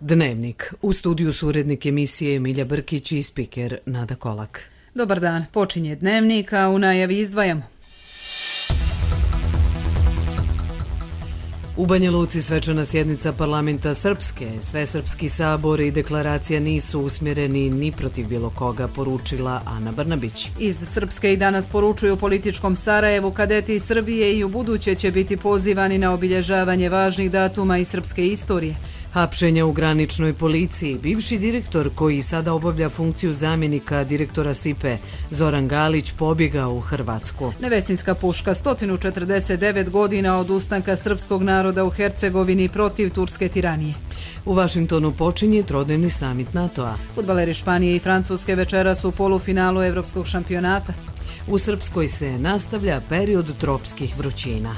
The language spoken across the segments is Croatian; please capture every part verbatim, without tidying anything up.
Dnevnik. U studiju su urednik emisije Emilija Brkić i spiker Nada Kolak. Dobar dan, počinje Dnevnik, a u najavi izdvajamo. U Banja Luci svečana sjednica parlamenta Srpske. Svesrpski sabor i deklaracija nisu usmjereni ni protiv bilo koga, poručila Ana Brnabić. Iz Srpske i danas poručuju u političkom Sarajevu kadeti iz Srbije i u buduće će biti pozivani na obilježavanje važnih datuma iz srpske istorije. Hapšenja u graničnoj policiji. Bivši direktor koji sada obavlja funkciju zamjenika direktora S I P E, Zoran Galić, pobjegao u Hrvatsku. Nevesinska puška, sto četrdeset devet godina od ustanka srpskog naroda u Hercegovini protiv turske tiranije. U Vašingtonu počinje trodnevni samit NATO-a. Fudbaleri Španije i Francuske večeras u polufinalu evropskog šampionata. U Srpskoj se nastavlja period tropskih vrućina.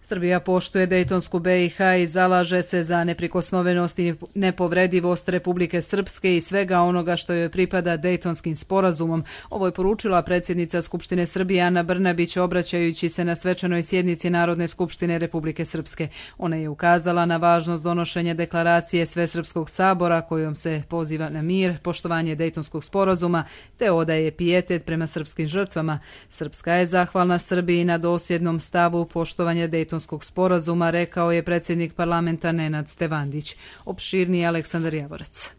Srbija poštuje Dejtonsku B i H i zalaže se za neprikosnovenost i nepovredivost Republike Srpske i svega onoga što joj pripada Dejtonskim sporazumom. Ovo je poručila predsjednica Skupštine Srbije Ana Brnabić obraćajući se na svečanoj sjednici Narodne skupštine Republike Srpske. Ona je ukazala na važnost donošenja deklaracije Svesrpskog sabora kojom se poziva na mir, poštovanje Dejtonskog sporazuma te odaje pijetet prema srpskim žrtvama. Srpska je zahvalna Srbiji na dosljednom stavu poštovanja Dejtonskog sporazuma, rekao je predsjednik parlamenta Nenad Stevandić. Opširniji Aleksandar Javorac.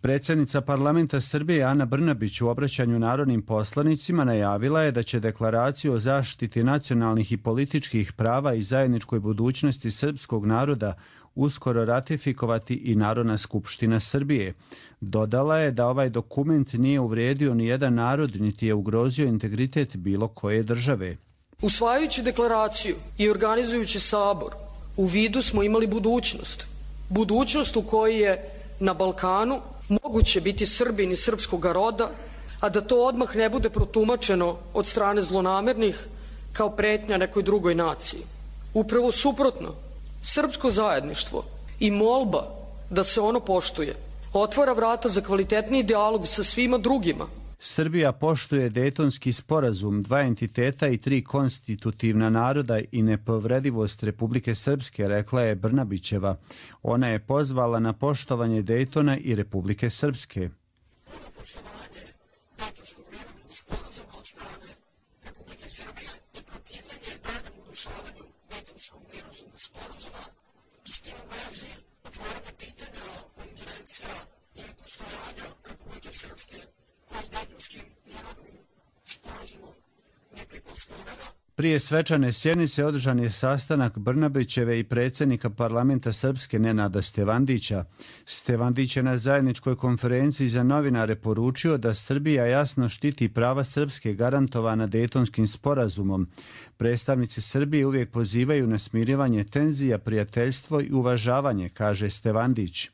Predsjednica parlamenta Srbije Ana Brnabić u obraćanju narodnim poslanicima najavila je da će deklaraciju o zaštiti nacionalnih i političkih prava i zajedničkoj budućnosti srpskog naroda uskoro ratifikovati i Narodna skupština Srbije. Dodala je da ovaj dokument nije uvrijedio ni jedan narod niti je ugrozio integritet bilo koje države. Usvajajući deklaraciju i organizujući sabor, u vidu smo imali budućnost. Budućnost u kojoj je na Balkanu moguće biti Srbin i srpskog roda, a da to odmah ne bude protumačeno od strane zlonamernih kao pretnja nekoj drugoj naciji. Upravo suprotno, srpsko zajedništvo i molba da se ono poštuje otvara vrata za kvalitetniji dijalog sa svima drugima. Srbija poštuje Dejtonski sporazum, dva entiteta i tri konstitutivna naroda i nepovredivost Republike Srpske, rekla je Brnabićeva. Ona je pozvala na poštovanje Dejtona i Republike Srpske. Prije svečane sjednice održan je sastanak Brnabićeve i predsjednika parlamenta Srpske Nenada Stevandića. Stevandić je na zajedničkoj konferenciji za novinare poručio da Srbija jasno štiti prava Srpske garantovana Dejtonskim sporazumom. Predstavnici Srbije uvijek pozivaju na smirivanje tenzija, prijateljstvo i uvažavanje, kaže Stevandić.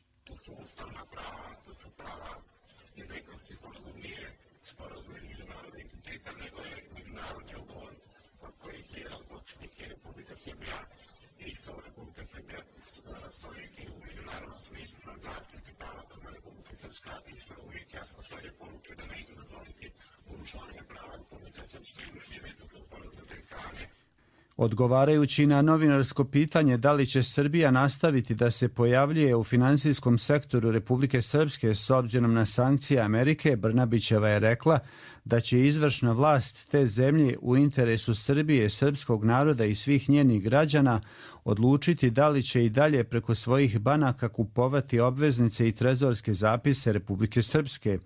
Odgovarajući na novinarsko pitanje da li će Srbija nastaviti da se pojavljuje u finansijskom sektoru Republike Srpske s obzirom na sankcije Amerike, Brnabićeva je rekla da će izvršna vlast te zemlje u interesu Srbije, srpskog naroda i svih njenih građana odlučiti da li će i dalje preko svojih banaka kupovati obveznice i trezorske zapise Republike Srpske.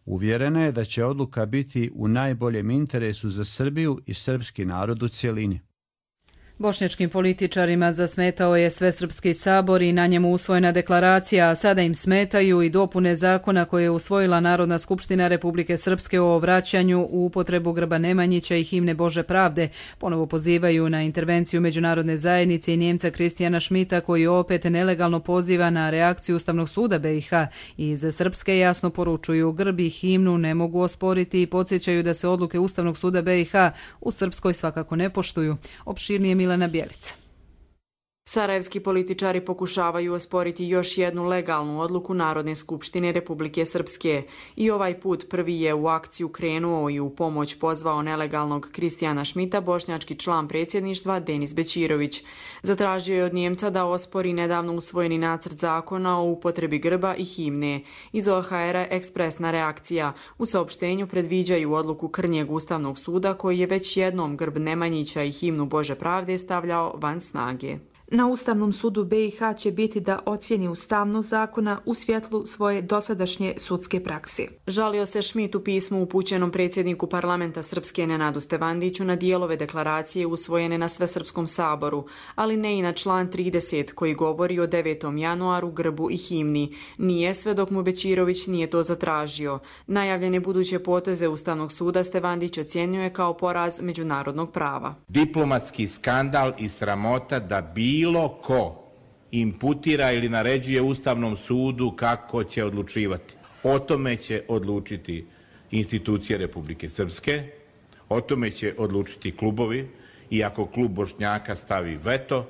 Uvjerena je da će odluka biti u najboljem interesu za Srbiju i srpski narod u cjelini. Bošnjačkim političarima zasmetao je Svesrpski sabor i na njemu usvojena deklaracija, a sada im smetaju i dopune zakona koje je usvojila Narodna skupština Republike Srpske o vraćanju u upotrebu grba Nemanjića i himne Bože pravde. Ponovo pozivaju na intervenciju međunarodne zajednice i Njemca Kristijana Šmita koji opet nelegalno poziva na reakciju Ustavnog suda B i H. Iz Srpske jasno poručuju grb i himnu ne mogu osporiti i podsjećaju da se odluke Ustavnog suda B i H u Srpskoj svakako ne poštuju. Opširnije Milana Bjelica. Sarajevski političari pokušavaju osporiti još jednu legalnu odluku Narodne skupštine Republike Srpske i ovaj put prvi je u akciju krenuo i u pomoć pozvao nelegalnog Kristijana Šmita, bošnjački član predsjedništva Denis Bećirović. Zatražio je od Njemca da ospori nedavno usvojeni nacrt zakona o upotrebi grba i himne. Iz O H R-a ekspresna reakcija. U saopštenju predviđaju odluku Krnjeg ustavnog suda koji je već jednom grb Nemanjića i himnu Bože pravde stavljao van snage. Na Ustavnom sudu B i H će biti da ocijeni ustavnost zakona u svjetlu svoje dosadašnje sudske prakse. Žalio se Šmit u pismu upućenom predsjedniku parlamenta Srpske Nenadu Stevandiću na dijelove deklaracije usvojene na Svesrpskom saboru, ali ne i na član trideset koji govori o devetom januaru, grbu i himni. Nije sve dok mu Bećirović nije to zatražio. Najavljene buduće poteze Ustavnog suda Stevandić ocjenjuje kao poraz međunarodnog prava. Diplomatski skandal i sramota da bi bilo ko imputira ili naređuje Ustavnom sudu kako će odlučivati. O tome će odlučiti institucije Republike Srpske, o tome će odlučiti klubovi i ako klub Bošnjaka stavi veto,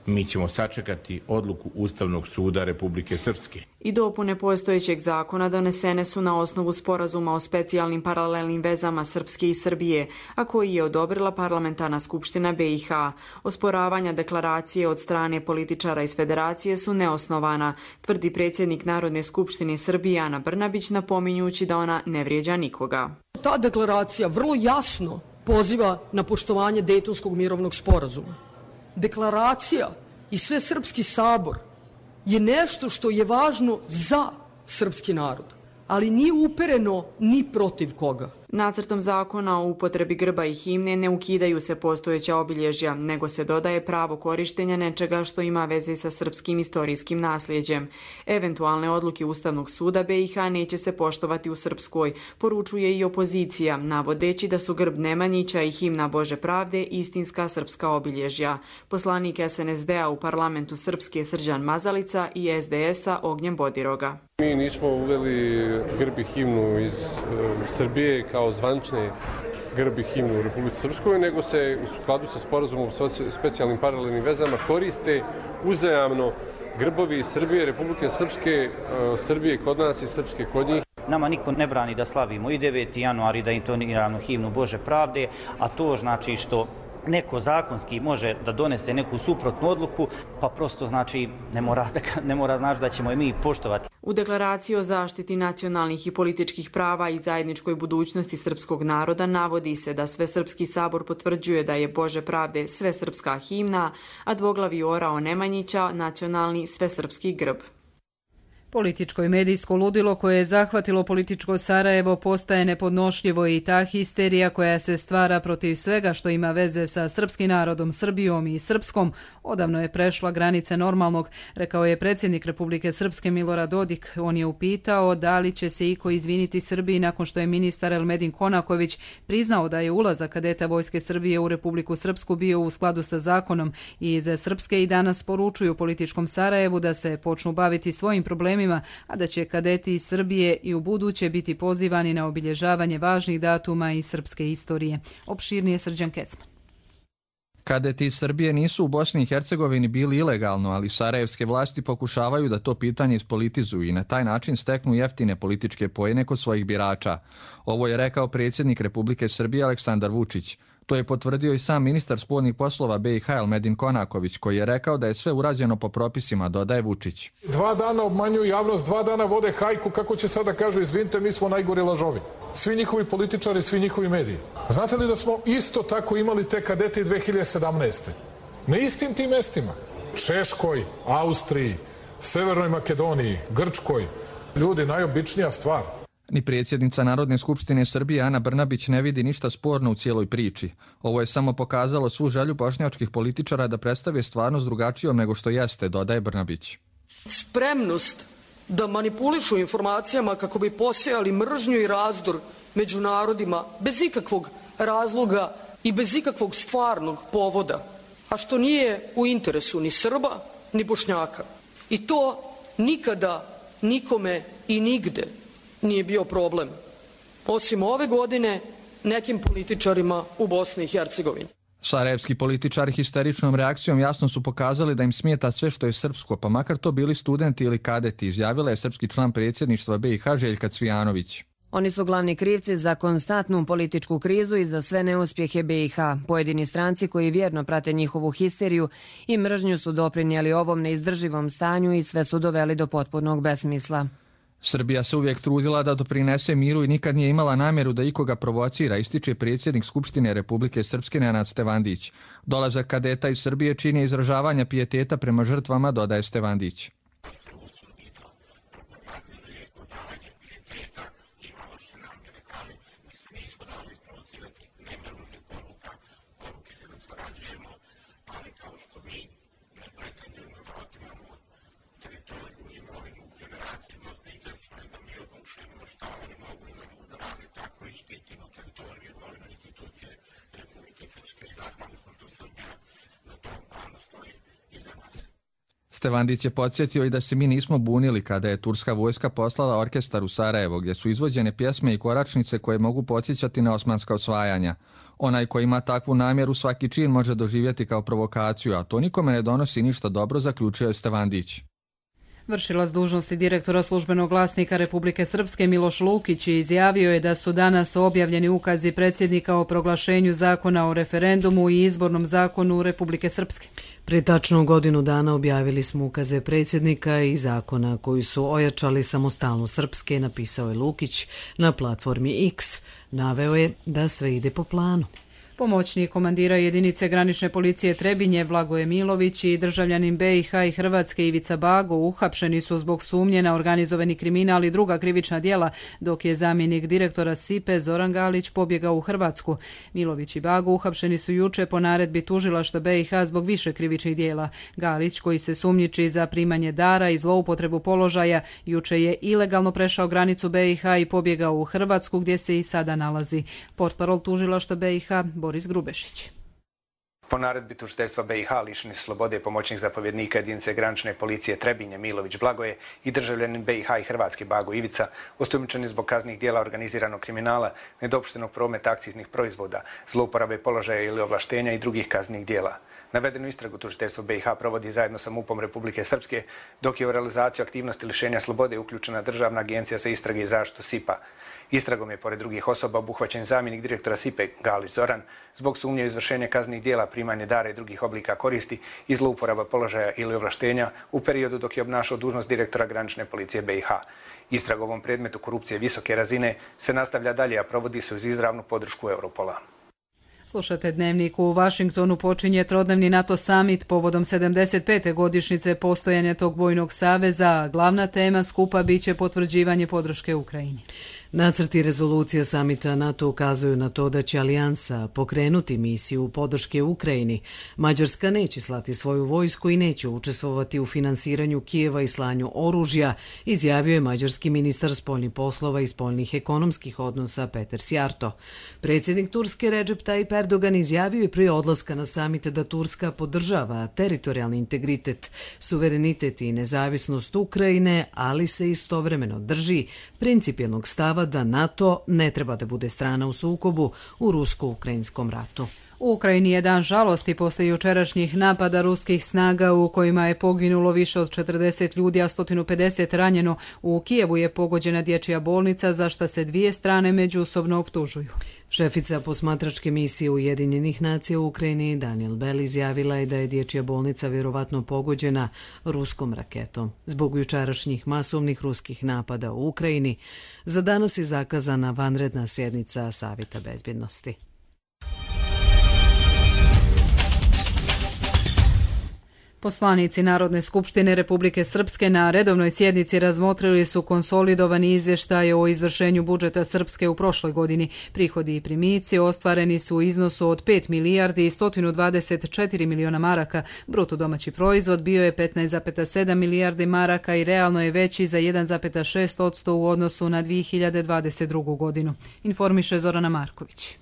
mi ćemo sačekati odluku Ustavnog suda Republike Srpske. I dopune postojećeg zakona donesene su na osnovu sporazuma o specijalnim paralelnim vezama Srpske i Srbije, a koji je odobrila parlamentarna skupština B i H. Osporavanja deklaracije od strane političara iz federacije su neosnovana, tvrdi predsjednik Narodne skupštine Srbije Ana Brnabić, napominjući da ona ne vrijeđa nikoga. Ta deklaracija vrlo jasno poziva na poštovanje Dejtonskog mirovnog sporazuma. Deklaracija i Svesrpski sabor je nešto što je važno za srpski narod, ali nije upereno ni protiv koga. Nacrtom zakona o upotrebi grba i himne ne ukidaju se postojeća obilježja, nego se dodaje pravo korištenja nečega što ima veze sa srpskim istorijskim nasljeđem. Eventualne odluke Ustavnog suda B i H neće se poštovati u Srpskoj, poručuje i opozicija, navodeći da su grb Nemanjića i himna Bože pravde istinska srpska obilježja. Poslanik S N S D-a u parlamentu Srpske Srđan Mazalica i S D S-a Ognjen Bodiroga. Mi nismo uveli grb i himnu iz uh, Srbije kao zvančne grb i himnu u Republici Srpskoj, nego se u skladu sa sporazumom o specijalnim paralelnim vezama koriste uzajamno grbovi Srbije, Republike Srpske, uh, Srbije kod nas i Srpske kod njih. Nama niko ne brani da slavimo i deveti januar i da intoniramo himnu Bože pravde, a to znači što neko zakonski može da donese neku suprotnu odluku, pa prosto znači ne mora, ne mora znači da ćemo je mi poštovati. U deklaraciji o zaštiti nacionalnih i političkih prava i zajedničkoj budućnosti srpskog naroda navodi se da Svesrpski sabor potvrđuje da je Bože pravde svesrpska himna, a dvoglavi orao Nemanjića nacionalni svesrpski grb. Političko i medijsko ludilo koje je zahvatilo političko Sarajevo postaje nepodnošljivo i ta histerija koja se stvara protiv svega što ima veze sa srpskim narodom, Srbijom i Srpskom odavno je prešla granice normalnog, rekao je predsjednik Republike Srpske Milorad Dodik. On je upitao da li će se iko izviniti Srbiji nakon što je ministar Elmedin Konaković priznao da je ulazak kadeta Vojske Srbije u Republiku Srpsku bio u skladu sa zakonom i iz Srpske i danas poručuju političkom Sarajevu da se počnu baviti svojim problemima, a da će kadeti iz Srbije i u buduće biti pozivani na obilježavanje važnih datuma iz srpske istorije. Opširnije Srđan Kecman. Kadeti iz Srbije nisu u Bosni i Hercegovini bili ilegalno, ali sarajevske vlasti pokušavaju da to pitanje ispolitizuju i na taj način steknu jeftine političke poene kod svojih birača. Ovo je rekao predsjednik Republike Srbije Aleksandar Vučić. To je potvrdio i sam ministar spoljnih poslova B i H Elmedin Konaković, koji je rekao da je sve urađeno po propisima, dodaje Vučić. Dva dana obmanjuju javnost, dva dana vode hajku, kako će sada kažu, izvinite, mi smo najgori lažovi. Svi njihovi političari, svi njihovi mediji. Znate li da smo isto tako imali te kadete dve hiljade sedamnaeste. Na istim tim mestima. Češkoj, Austriji, Severnoj Makedoniji, Grčkoj. Ljudi, najobičnija stvar. Ni predsjednica Narodne skupštine Srbije Ana Brnabić ne vidi ništa sporno u cijeloj priči. Ovo je samo pokazalo svu želju bošnjačkih političara da predstave stvarnost drugačijom nego što jeste, dodaje Brnabić. Spremnost da manipulišu informacijama kako bi posejali mržnju i razdor među narodima bez ikakvog razloga i bez ikakvog stvarnog povoda, a što nije u interesu ni Srba ni Bošnjaka. I to nikada, nikome i nigde nije bio problem, osim ove godine nekim političarima u Bosni i Hercegovini. Sarajevski političari histeričnom reakcijom jasno su pokazali da im smeta sve što je srpsko, pa makar to bili studenti ili kadeti, izjavila je srpski član predsjedništva B i H Željka Cvijanović. Oni su glavni krivci za konstantnu političku krizu i za sve neuspjehe B i H. Pojedini stranci koji vjerno prate njihovu histeriju i mržnju su doprinijeli ovom neizdrživom stanju i sve su doveli do potpunog besmisla. Srbija se uvijek trudila da doprinese miru i nikad nije imala namjeru da ikoga provocira, ističe predsjednik Skupštine Republike Srpske Nenad Stevandić. Dolazak kadeta iz Srbije čini izražavanja pijeteta prema žrtvama, dodaje Stevandić. Stevandić je podsjetio i da se mi nismo bunili kada je turska vojska poslala orkestar u Sarajevo, gdje su izvođene pjesme i koračnice koje mogu podsjećati na osmanska osvajanja. Onaj ko ima takvu namjeru svaki čin može doživjeti kao provokaciju, a to nikome ne donosi ništa dobro, zaključio je Stevandić. Vršilac dužnosti direktora službenog glasnika Republike Srpske Miloš Lukić izjavio je da su danas objavljeni ukazi predsjednika o proglašenju zakona o referendumu i izbornom zakonu Republike Srpske. Pre tačno godinu dana objavili smo ukaze predsjednika i zakona koji su ojačali samostalnost Srpske, napisao je Lukić na platformi X. Naveo je da sve ide po planu. Pomoćnik komandira jedinice granične policije Trebinje Blagoje Milović i državljanin B i H i Hrvatske Ivica Bago uhapšeni su zbog sumnje na organizovani kriminal i druga krivična djela, dok je zamjenik direktora S I P E Zoran Galić pobjegao u Hrvatsku. Milović i Bago uhapšeni su juče po naredbi tužilaštva B i H zbog više krivičnih djela. Galić, koji se sumnjiči za primanje dara i zloupotrebu položaja, juče je ilegalno prešao granicu B i H i pobjegao u Hrvatsku, gdje se i sada nalazi. Portparol tužilaštva B i H Boris Grubešić. Po naredbi tužiteljstva B i H lišeni su slobode pomoćnik zapovjednika jedinice granične policije Trebinje Milović Blagoje i državljanin B i H i Hrvatske Bago Ivica, osumnjičeni zbog kaznenih djela organiziranog kriminala, nedopuštenog prometa akciznih proizvoda, zlouporabe položaja ili ovlaštenja i drugih kaznenih djela. Navedenu istragu tužiteljstvo B i H provodi zajedno sa MUP-om Republike Srpske, dok je u realizaciju aktivnosti lišenja slobode uključena Državna agencija za istrage i zaštitu S I P A. Istragom je, pored drugih osoba, obuhvaćen zamjenik direktora S I P E Galić Zoran zbog sumnje u izvršenje kaznenih djela, primanje dara i drugih oblika koristi i zlouporaba položaja ili ovlaštenja u periodu dok je obnašao dužnost direktora granične policije B i H. Istraga u ovom predmetu korupcije visoke razine se nastavlja dalje, a provodi se uz izravnu podršku Europola. Slušate Dnevnik. U Vašingtonu počinje trodnevni NATO summit povodom sedamdeset pete godišnjice postojanja tog vojnog saveza. Glavna tema skupa biće potvrđivanje podrške Ukrajini. Nacrti rezolucija samita NATO ukazuju na to da će alijansa pokrenuti misiju podrške Ukrajini. Mađarska neće slati svoju vojsku i neće učestvovati u finansiranju Kijeva i slanju oružja, izjavio je mađarski ministar spoljnih poslova i spoljnih ekonomskih odnosa Peter Sjarto. Predsjednik Turske Recep Tayyip Erdogan izjavio je prije odlaska na samit da Turska podržava teritorijalni integritet, suverenitet i nezavisnost Ukrajine, ali se istovremeno drži principijelnog stava da NATO ne treba da bude strana u sukobu u rusko-ukrajinskom ratu. U Ukrajini je dan žalosti posle jučerašnjih napada ruskih snaga u kojima je poginulo više od četrdeset ljudi, a sto pedeset ranjeno. U Kijevu je pogođena dječja bolnica, za šta se dvije strane međusobno optužuju. Šefica posmatračke misije Ujedinjenih nacija u Ukrajini Daniel Bell izjavila je da je dječja bolnica vjerovatno pogođena ruskom raketom. Zbog jučerašnjih masovnih ruskih napada u Ukrajini, za danas je zakazana vanredna sjednica Savjeta bezbjednosti. Poslanici Narodne skupštine Republike Srpske na redovnoj sjednici razmotrili su konsolidovani izvještaj o izvršenju budžeta Srpske u prošloj godini. Prihodi i primici ostvareni su u iznosu od pet milijardi i sto dvadeset četiri miliona maraka. Bruto domaći proizvod bio je petnaest zarez sedam milijardi maraka i realno je veći za jedan zarez šest posto u odnosu na dvije hiljade dvadeset drugu. godinu. Informiše Zorana Marković.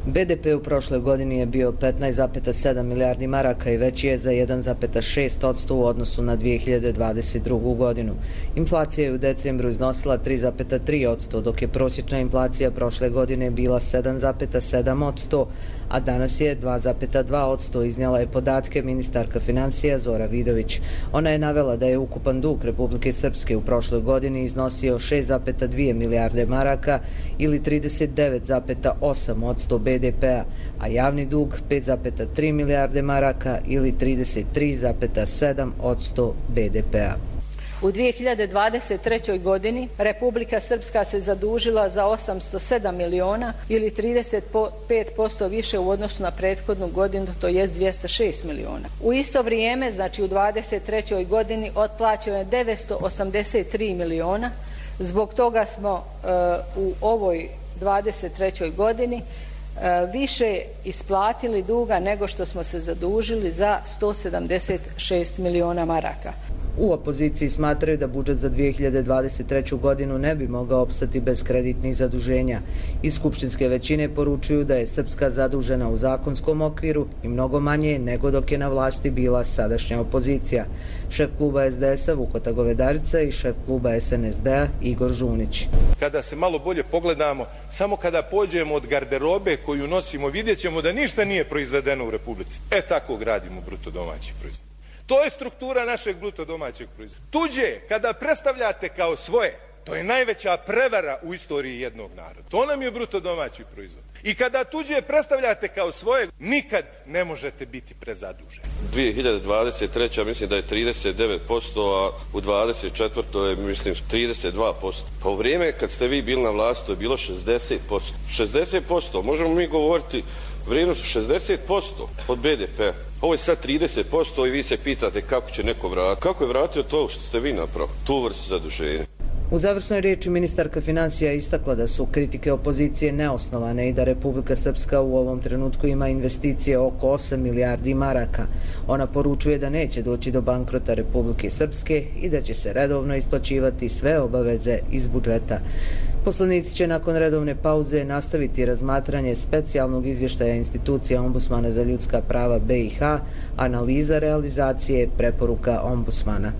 B D P u prošloj godini je bio petnaest zarez sedam milijardi maraka i veći je za jedan zarez šest posto u odnosu na dvije hiljade dvadeset drugu. godinu. Inflacija je u decembru iznosila tri zarez tri posto, dok je prosječna inflacija prošle godine bila sedam zarez sedam posto, a danas je dva zarez dva posto, iznijela je podatke ministarka financija Zora Vidović. Ona je navela da je ukupan dug Republike Srpske u prošloj godini iznosio šest zarez dvije milijarde maraka ili trideset devet zarez osam posto B D P-a, a javni dug pet zarez tri milijarde maraka ili trideset tri zarez sedam posto B D P-a. U dvije hiljade dvadeset trećoj. godini Republika Srpska se zadužila za osamsto sedam miliona ili trideset pet posto više u odnosu na prethodnu godinu, to jest dvjesto šest miliona. U isto vrijeme, znači u dvadeset trećoj. godini, otplaćeno je devetsto osamdeset tri miliona. Zbog toga smo uh, u ovoj dvadeset trećoj. godini uh, više isplatili duga nego što smo se zadužili za sto sedamdeset šest miliona maraka. U opoziciji smatraju da budžet za dvije hiljade dvadeset treću. godinu ne bi mogao opstati bez kreditnih zaduženja. Iz skupštinske većine poručuju da je Srpska zadužena u zakonskom okviru i mnogo manje nego dok je na vlasti bila sadašnja opozicija. Šef kluba S D S-a Vukota Govedarica i šef kluba S N S D-a Igor Žunić. Kada se malo bolje pogledamo, samo kada pođemo od garderobe koju nosimo, vidjet ćemo da ništa nije proizvedeno u Republici. E tako gradimo bruto domaći proizvod. To je struktura našeg bruto domaćeg proizvoda. Tuđe, kada predstavljate kao svoje, to je najveća prevara u istoriji jednog naroda. To nam je bruto domaći proizvod. I kada tuđe predstavljate kao svoje, nikad ne možete biti prezaduženi. dvije hiljade dvadeset treća. mislim da je trideset devet posto, a u dvadeset četvrtoj. je mislim trideset dva posto. Pa u vrijeme kad ste vi bili na vlasti to je bilo šezdeset posto. šezdeset posto, možemo mi govoriti vrijednost šezdeset posto od B D P-a. Ovo je sad trideset posto i vi se pitate kako će neko vratiti. Kako je vratio to što ste vi napravili, tu vrstu zaduženja? U završnoj riječi ministarka financija istakla da su kritike opozicije neosnovane i da Republika Srpska u ovom trenutku ima investicije oko osam milijardi maraka. Ona poručuje da neće doći do bankrota Republike Srpske i da će se redovno isplaćivati sve obaveze iz budžeta. Poslanici će nakon redovne pauze nastaviti razmatranje specijalnog izvještaja institucija Ombudsmana za ljudska prava B i H, analiza realizacije preporuka Ombudsmana.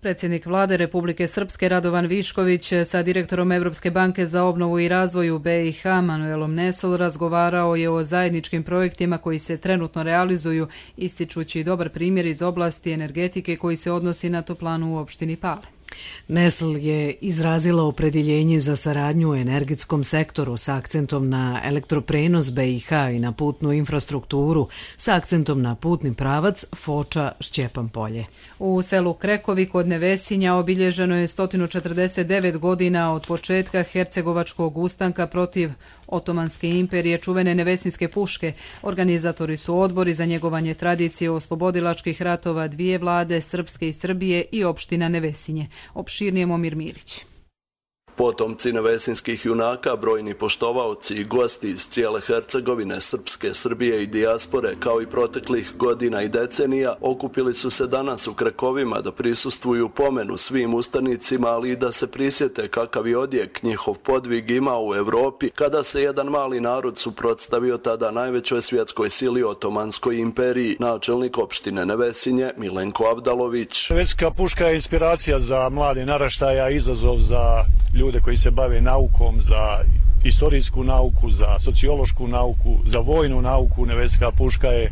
Predsjednik vlade Republike Srpske Radovan Višković sa direktorom Evropske banke za obnovu i razvoj u B i H Manuelom Nesol razgovarao je o zajedničkim projektima koji se trenutno realizuju, ističući dobar primjer iz oblasti energetike koji se odnosi na toplanu u opštini Pale. Nesl je izrazila opredjeljenje za saradnju u energetskom sektoru sa akcentom na elektroprenos B i H i na putnu infrastrukturu sa akcentom na putni pravac Foča-Šćepan polje. U selu Krekovi kod Nevesinja obilježeno je sto četrdeset devet godina od početka hercegovačkog ustanka protiv Otomanske imperije čuvene Nevesinske puške. Organizatori su odbori za njegovanje tradicije oslobodilačkih ratova dvije vlade, Srpske i Srbije i opština Nevesinje. Opširnije Momir Milić. Potomci nevesinskih junaka, brojni poštovaoci i gosti iz cijele Hercegovine, Srpske, Srbije i dijaspore, kao i proteklih godina i decenija, okupili su se danas u Krekovima da prisustvuju pomenu svim ustanicima, ali i da se prisjete kakav je odjek njihov podvig imao u Evropi, kada se jedan mali narod suprotstavio tada najvećoj svjetskoj sili Otomanskoj imperiji, načelnik opštine Nevesinje Milenko Avdalović. Nevesinska puška je inspiracija za mlade naraštaja, izazov za ljude koji se bave naukom, za istorijsku nauku, za sociološku nauku, za vojnu nauku. Nevesinska puška je e,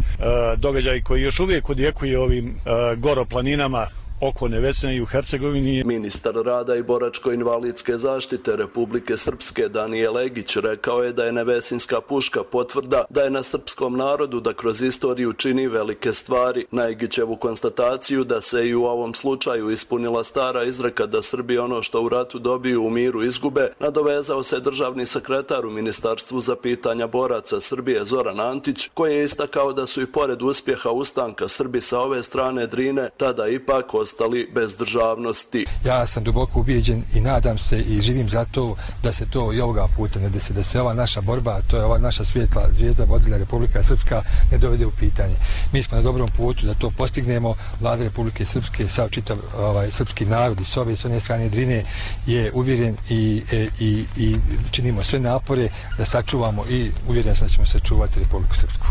događaj koji još uvijek odjekuje ovim e, goroplaninama oko Nevesine i u Hercegovini. Ministar rada i boračko-invalidske zaštite Republike Srpske Danijel Egić rekao je da je Nevesinska puška potvrda da je na srpskom narodu da kroz istoriju čini velike stvari. Na Egićevu konstataciju da se i u ovom slučaju ispunila stara izreka da Srbi ono što u ratu dobiju u miru izgube, nadovezao se državni sekretar u Ministarstvu za pitanja boraca Srbije Zoran Antić, koji je istakao da su i pored uspjeha ustanka Srbi sa ove strane Drine tada ipak ostali ostali bez državnosti. Ja sam duboko ubijeđen i nadam se i živim za to da se to i ovoga puta ne desi, da se ova naša borba, to je ova naša svjetla zvijezda vodilja Republika Srpska ne dovede u pitanje. Mi smo na dobrom putu da to postignemo. Vlada Republike Srpske, sav čitav ovaj, srpski narod i s ove i s one strane Drine je uvjeren i, i, i činimo sve napore da sačuvamo i uvjeren sam da ćemo sačuvati Republiku Srpsku.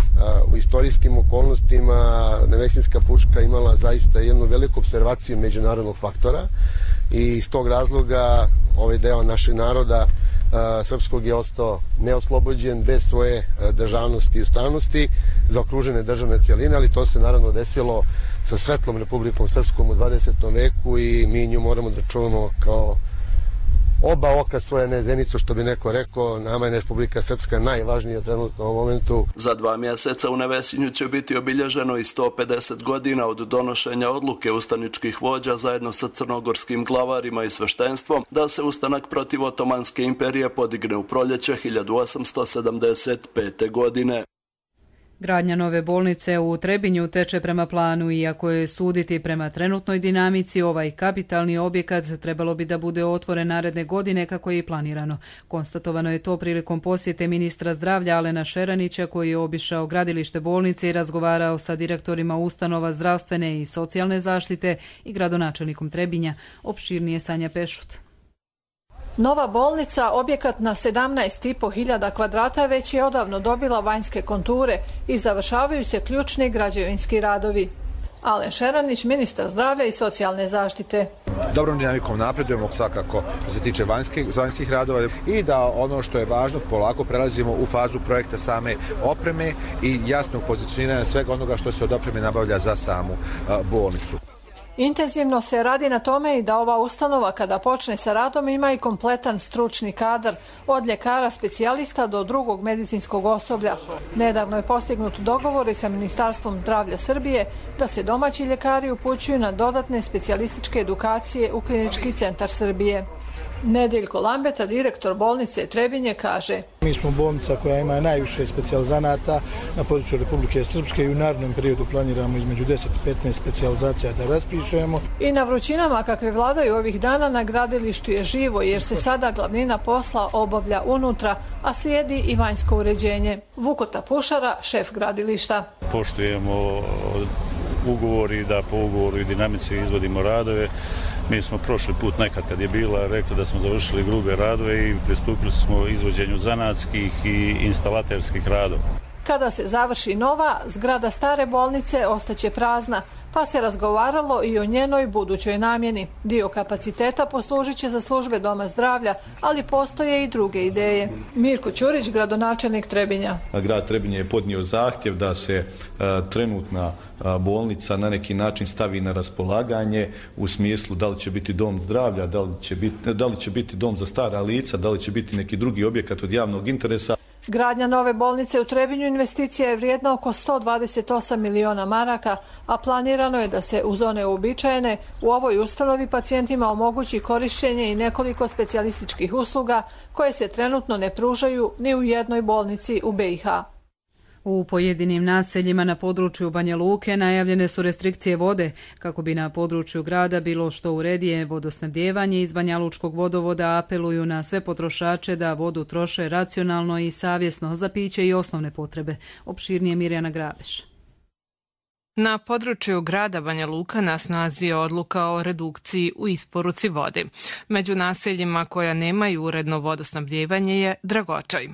U istorijskim okolnostima Nevesinjska puška imala zaista jednu veliku observaciju međunarodnog faktora i iz tog razloga ovaj deo našeg naroda srpskog je ostao neoslobođen, bez svoje državnosti i ustavnosti, zaokružene državne cijeline, ali to se naravno desilo sa svetlom Republikom Srpskom u dvadesetom veku i mi nju moramo da čuvamo kao oba oka svoje nezenicu, što bi neko rekao. Nama je Republika Srpska najvažnija trenutno u ovom momentu. Za dva mjeseca u Nevesinju će biti obilježeno i sto pedeset godina od donošenja odluke ustaničkih vođa zajedno sa crnogorskim glavarima i sveštenstvom da se ustanak protiv Otomanske imperije podigne u proljeće hiljadu osamsto sedamdeset pete. godine. Gradnja nove bolnice u Trebinju teče prema planu, iako je suditi prema trenutnoj dinamici, ovaj kapitalni objekat trebalo bi da bude otvoren naredne godine kako je i planirano. Konstatovano je to prilikom posjete ministra zdravlja Alena Šeranića, koji je obišao gradilište bolnice i razgovarao sa direktorima ustanova zdravstvene i socijalne zaštite i gradonačelnikom Trebinja. Opširnije Sanja Pešut. Nova bolnica, objekat na sedamnaest i po hiljada kvadrata, već je odavno dobila vanjske konture i završavaju se ključni građevinski radovi. Alen Šeranić, ministar zdravlja i socijalne zaštite. Dobrom dinamikom napredujemo svakako što se tiče vanjskih, vanjskih radova i da ono što je važno, polako prelazimo u fazu projekta same opreme i jasnog pozicioniranja svega onoga što se od opreme nabavlja za samu a, bolnicu. Intenzivno se radi na tome i da ova ustanova kada počne sa radom ima i kompletan stručni kadar, od ljekara specijalista do drugog medicinskog osoblja. Nedavno je postignut dogovor i sa Ministarstvom zdravlja Srbije da se domaći ljekari upućuju na dodatne specijalističke edukacije u Klinički centar Srbije. Nedeljko Lambeta, direktor bolnice Trebinje, kaže: Mi smo bolnica koja ima najviše specijalizanata na području Republike Srpske i u narednom periodu planiramo između deset i petnaest specijalizacija da raspišemo. I na vrućinama kakve vladaju ovih dana na gradilištu je živo, jer se sada glavnina posla obavlja unutra, a slijedi i vanjsko uređenje. Vukota Pušara, šef gradilišta. Poštujemo ugovori da po ugovoru i dinamici izvodimo radove. Mi smo prošli put nekad kad je bila rekli da smo završili grube radove i pristupili smo izvođenju zanatskih i instalaterskih radova. Kada se završi nova, zgrada stare bolnice ostaće prazna, pa se razgovaralo i o njenoj budućoj namjeni. Dio kapaciteta poslužit će za službe doma zdravlja, ali postoje i druge ideje. Mirko Ćurić, gradonačelnik Trebinja. Grad Trebinje je podnio zahtjev da se a, trenutna a, bolnica na neki način stavi na raspolaganje u smislu da li će biti dom zdravlja, da li će biti, da li će biti dom za stara lica, da li će biti neki drugi objekat od javnog interesa. Gradnja nove bolnice u Trebinju investicija je vrijedna oko sto dvadeset osam miliona maraka, a planirano je da se uz one uobičajene u ovoj ustanovi pacijentima omogući korišćenje i nekoliko specijalističkih usluga koje se trenutno ne pružaju ni u jednoj bolnici u be i ha. U pojedinim naseljima na području Banja Luke najavljene su restrikcije vode kako bi na području grada bilo što uredije vodosnabdijevanje. Iz Banja Lučkog vodovoda apeluju na sve potrošače da vodu troše racionalno i savjesno za piće i osnovne potrebe. Opširnije Mirjana Grabeš. Na području grada Banja Luka na snazi je odluka o redukciji u isporuci vode. Među naseljima koja nemaju uredno vodosnabdijevanje je Dragočaj.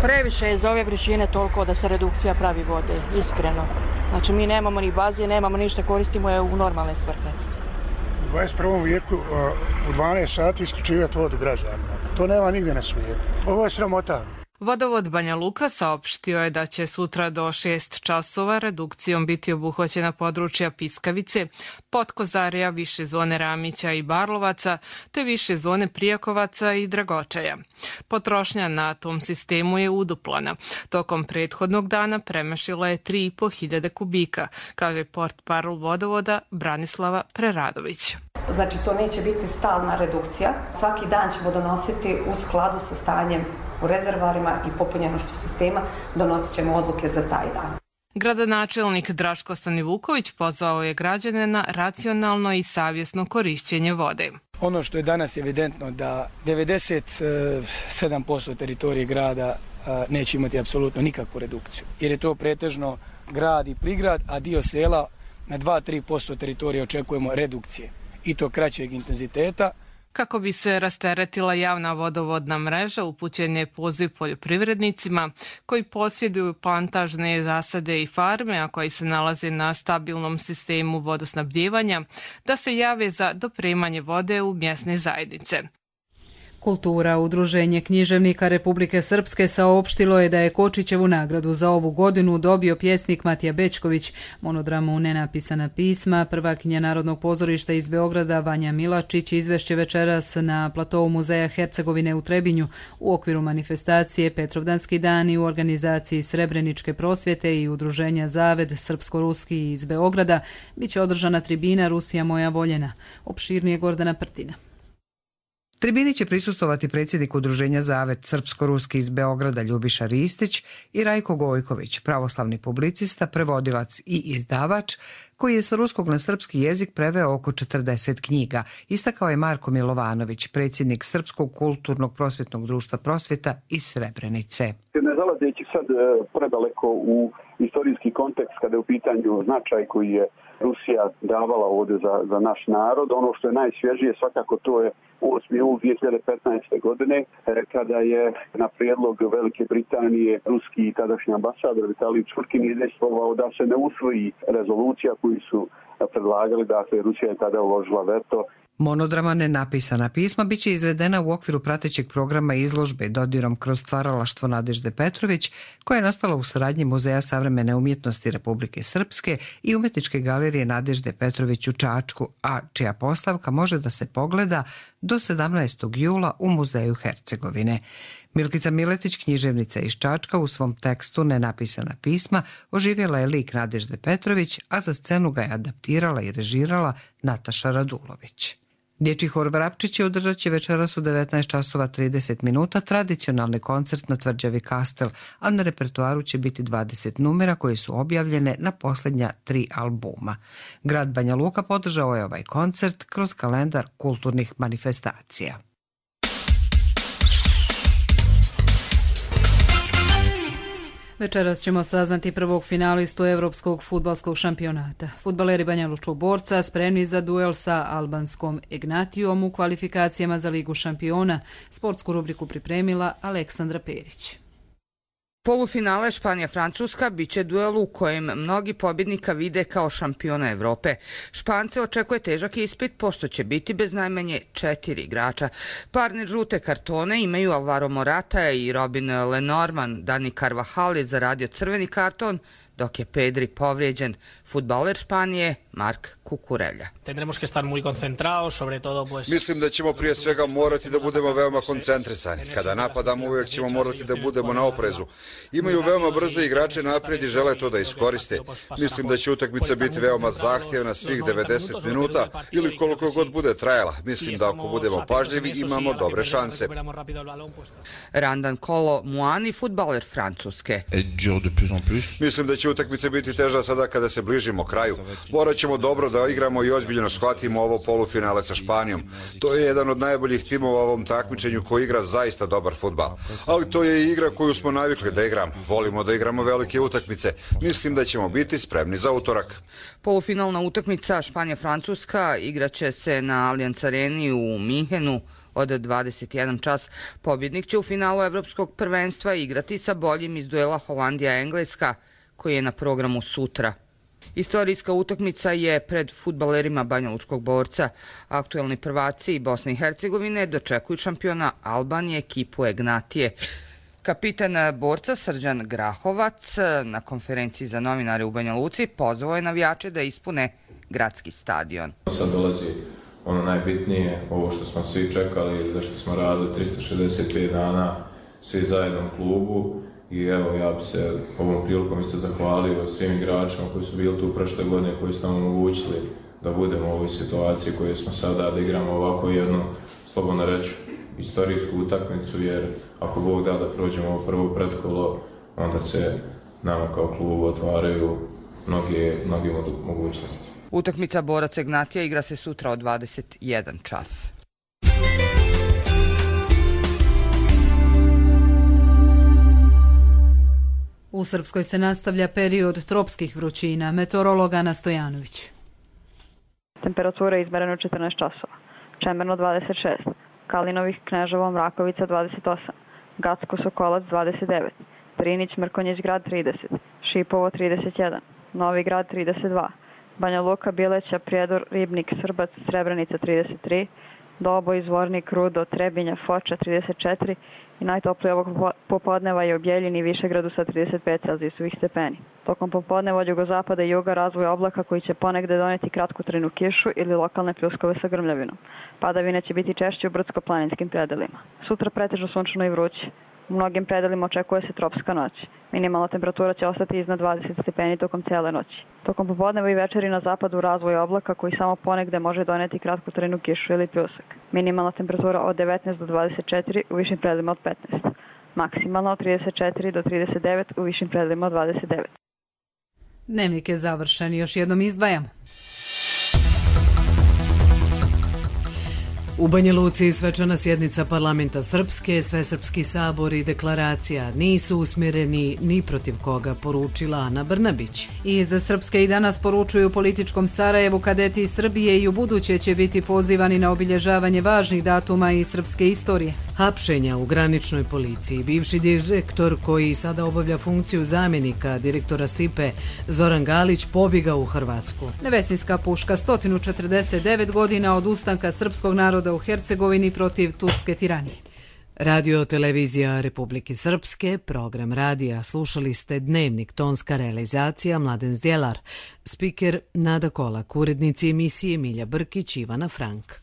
Previše je za ove vrućine toliko da se redukcija pravi vode, iskreno. Znači mi nemamo ni baze, nemamo ništa, koristimo je u normalne svrhe. U dvadeset prvom vijeku u dvanaest sati isključivati vodu građanima. To nema nigdje na svijetu. Ovo je sramota. Vodovod Banja Luka saopštio je da će sutra do šest časova redukcijom biti obuhvaćena područja Piskavice, Potkozarija, više zone Ramića i Barlovaca, te više zone Prijakovaca i Dragočaja. Potrošnja na tom sistemu je uduplana. Tokom prethodnog dana premašila je tri i po hiljade kubika, kaže portparol vodovoda Branislava Preradović. Znači to neće biti stalna redukcija. Svaki dan ćemo donositi u skladu sa stanjem u rezervarima i popunjenošću sistema, donosit ćemo odluke za taj dan. Gradonačelnik Draško Stanivuković pozvao je građane na racionalno i savjesno korišćenje vode. Ono što je danas evidentno da devedeset sedam posto teritorije grada neće imati apsolutno nikakvu redukciju, jer je to pretežno grad i prigrad, a dio sela na dva do tri posto teritorije očekujemo redukcije i to kraćeg intenziteta. Kako bi se rasteretila javna vodovodna mreža, upućen je poziv poljoprivrednicima koji posjeduju plantažne zasade i farme, a koji se nalaze na stabilnom sistemu vodosnabdijevanja, da se jave za dopremanje vode u mjesne zajednice. Kultura. Udruženje književnika Republike Srpske saopštilo je da je Kočićevu nagradu za ovu godinu dobio pjesnik Matija Bećković, monodramu Nenapisana pisma. Prvakinja Narodnog pozorišta iz Beograda Vanja Milačić izvešće večeras na platovu Muzeja Hercegovine u Trebinju u okviru manifestacije Petrovdanski dani u organizaciji Srebreničke prosvjete i udruženja Zaved Srpsko-Ruski iz Beograda. Biće održana tribina Rusija moja voljena. Opširnije Gordana Prtina. Tribini će prisustovati predsjednik udruženja Zaved Srpsko-Ruski iz Beograda Ljubiša Ristić i Rajko Gojković, pravoslavni publicista, prevodilac i izdavač, koji je sa ruskog na srpski jezik preveo oko četrdeset knjiga, istakao je Marko Milovanović, predsjednik Srpskog kulturnog prosvjetnog društva Prosvjeta iz Srebrenice. Ne zalazeći sad predaleko u istorijski kontekst kada je u pitanju značaj koji je Rusija davala ovdje za, za naš narod, ono što je najsvježije svakako to je osmi jul dvije hiljade petnaeste. godine kada je na prijedlog Velike Britanije ruski tadašnji ambasador Vitalij Čurkin izdejstvovao da se ne usvoji rezolucija koju su predlagali, dakle Rusija je tada uložila veto. Monodrama Nenapisana pisma biće izvedena u okviru pratećeg programa izložbe Dodirom kroz stvaralaštvo Nadežde Petrović, koja je nastala u saradnji Muzeja savremene umjetnosti Republike Srpske i Umetničke galerije Nadežde Petrović u Čačku, a čija postavka može da se pogleda do sedamnaestog jula u Muzeju Hercegovine. Milkica Miletić, književnica iz Čačka, u svom tekstu Nenapisana pisma oživjela je lik Nadežde Petrović, a za scenu ga je adaptirala i režirala Nataša Radulović. Dječji hor Vrapčići održat će večeras u devetnaest časova trideset minuta tradicionalni koncert na tvrđavi Kastel, a na repertoaru će biti dvadeset numera koje su objavljene na posljednja tri albuma. Grad Banja Luka podržao je ovaj koncert kroz kalendar kulturnih manifestacija. Večeras ćemo saznati prvog finalistu Evropskog fudbalskog šampionata. Fudbaleri Banjalučkog Borca spremni za duel sa albanskom Ignatijom u kvalifikacijama za Ligu šampiona. Sportsku rubriku pripremila Aleksandra Perić. Polufinale Španija-Francuska biće duel u kojem mnogi pobjednika vide kao šampiona Evrope. Špance očekuje težak ispit, pošto će biti bez najmanje četiri igrača. Parne žute kartone imaju Alvaro Morata i Robin Lenormand. Dani Carvajal je zaradio crveni karton, dok je Pedri povrijeđen. Fudbaler Španije Mark Kukurelja. Mislim da ćemo prije svega morati da budemo veoma koncentrisani. Kada napadamo uvijek ćemo morati da budemo na oprezu. Imaju veoma brze igrače naprijed i žele to da iskoriste. Mislim da će utakmica biti veoma zahtjevna svih devedeset minuta ili koliko god bude trajala. Mislim da ako budemo pažljivi imamo dobre šanse. Randan Kolo Muani, fudbaler Francuske. Mislim da će utakmica biti teža sada kada se bližimo kraju. Morat ćemo dobro da igramo i ozbiljno shvatimo ovo polufinale sa Španijom. To je jedan od najboljih timova u ovom takmičenju koji igra zaista dobar fudbal. Ali to je i igra koju smo navikli da igramo. Volimo da igramo velike utakmice. Mislim da ćemo biti spremni za utorak. Polufinalna utakmica Španija-Francuska igraće se na Allianz Areni u Minhenu od dvadeset jedan čas. Pobjednik će u finalu Evropskog prvenstva igrati sa boljim iz duela Holandija-Engleska, koji je na programu sutra. Istorijska utakmica je pred fudbalerima Banjalučkog Borca. Aktuelni prvaci Bosne i Hercegovine dočekuju šampiona Albanije, ekipu Ignatije. Kapitan Borca Srđan Grahovac na konferenciji za novinare u Banja Luci pozvao je navijače da ispune gradski stadion. Sad dolazi ono najbitnije, ovo što smo svi čekali, zašto smo radili tristo šezdeset pet dana svi zajedno u klubu. I evo, ja bi se ovom prilikom isto zahvalio svim igračima koji su bili tu prošle godine, koji su nam omogućili da budemo u ovoj situaciji koju smo sada, da igramo ovako jednu, slobodno reći, istorijsku utakmicu, jer ako Bog da da prođemo ovo prvo pretkolo, onda se nama kao klubu otvaraju mnoge, mnoge mogućnosti. Utakmica Borac Ignatija igra se sutra od dvadeset jedan čas. U Srpskoj se nastavlja period tropskih vrućina. Meteorolog Ana Stojanović. Temperatura je izmerena u četrnaest časova. Čemerno dvadeset šest, Kalinovih, Kneževo, Mrakovica dvadeset osam, Gacko, Sokolac dvadeset devet, Prinić, Mrkonjić Grad trideset, Šipovo trideset jedan, Novi Grad trideset dva, Banja Luka, Bileća, Prijedor, Ribnik, Srbac, Srebrenica trideset tri, Doboj, Zvornik, Rudo, Trebinja, Foča trideset četiri i najtoplije ovog popodneva je u Bjeljini i Višegradu sa trideset pet celzijusovih stepeni. Tokom popodneva od jugozapada i juga razvoj oblaka koji će ponegde doneti kratkotrajnu kišu ili lokalne pljuskove sa grmljavinom. Padavine će biti češće u brdsko-planinskim predelima. Sutra pretežno sunčano i vruće. U mnogim predelima očekuje se tropska noć. Minimalna temperatura će ostati iznad dvadeset stepeni tokom cijele noći. Tokom popodneva i večeri na zapadu razvoj oblaka koji samo ponegde može doneti kratkotrajnu kišu ili pljusak. Minimalna temperatura od devetnaest do dvadeset četiri, u višim predelima od petnaest. Maksimalna od trideset četiri do trideset devet, u višim predelima od dvadeset devet. Dnevnik je završen. Još jednom izdvajamo. U Banja Luci svečana sjednica parlamenta Srpske, Svesrpski sabor i deklaracija nisu usmjereni ni protiv koga, poručila Ana Brnabić. I za Srpske i danas poručuju političkom Sarajevu kadeti iz Srbije i u buduće će biti pozivani na obilježavanje važnih datuma iz srpske istorije. Hapšenja u graničnoj policiji. Bivši direktor koji sada obavlja funkciju zamjenika direktora S I P E Zoran Galić pobjegao u Hrvatsku. Nevesinska puška, sto četrdeset devet godina od ustanka srpskog naroda u Hercegovini protiv turske tiranije. Radio televizija Republike Srpske, program radija. Slušali ste Dnevnik, tonska realizacija Mladen Zdjelar, spiker Nada Kolak, urednici emisije Milja Brkić, Ivana Frank.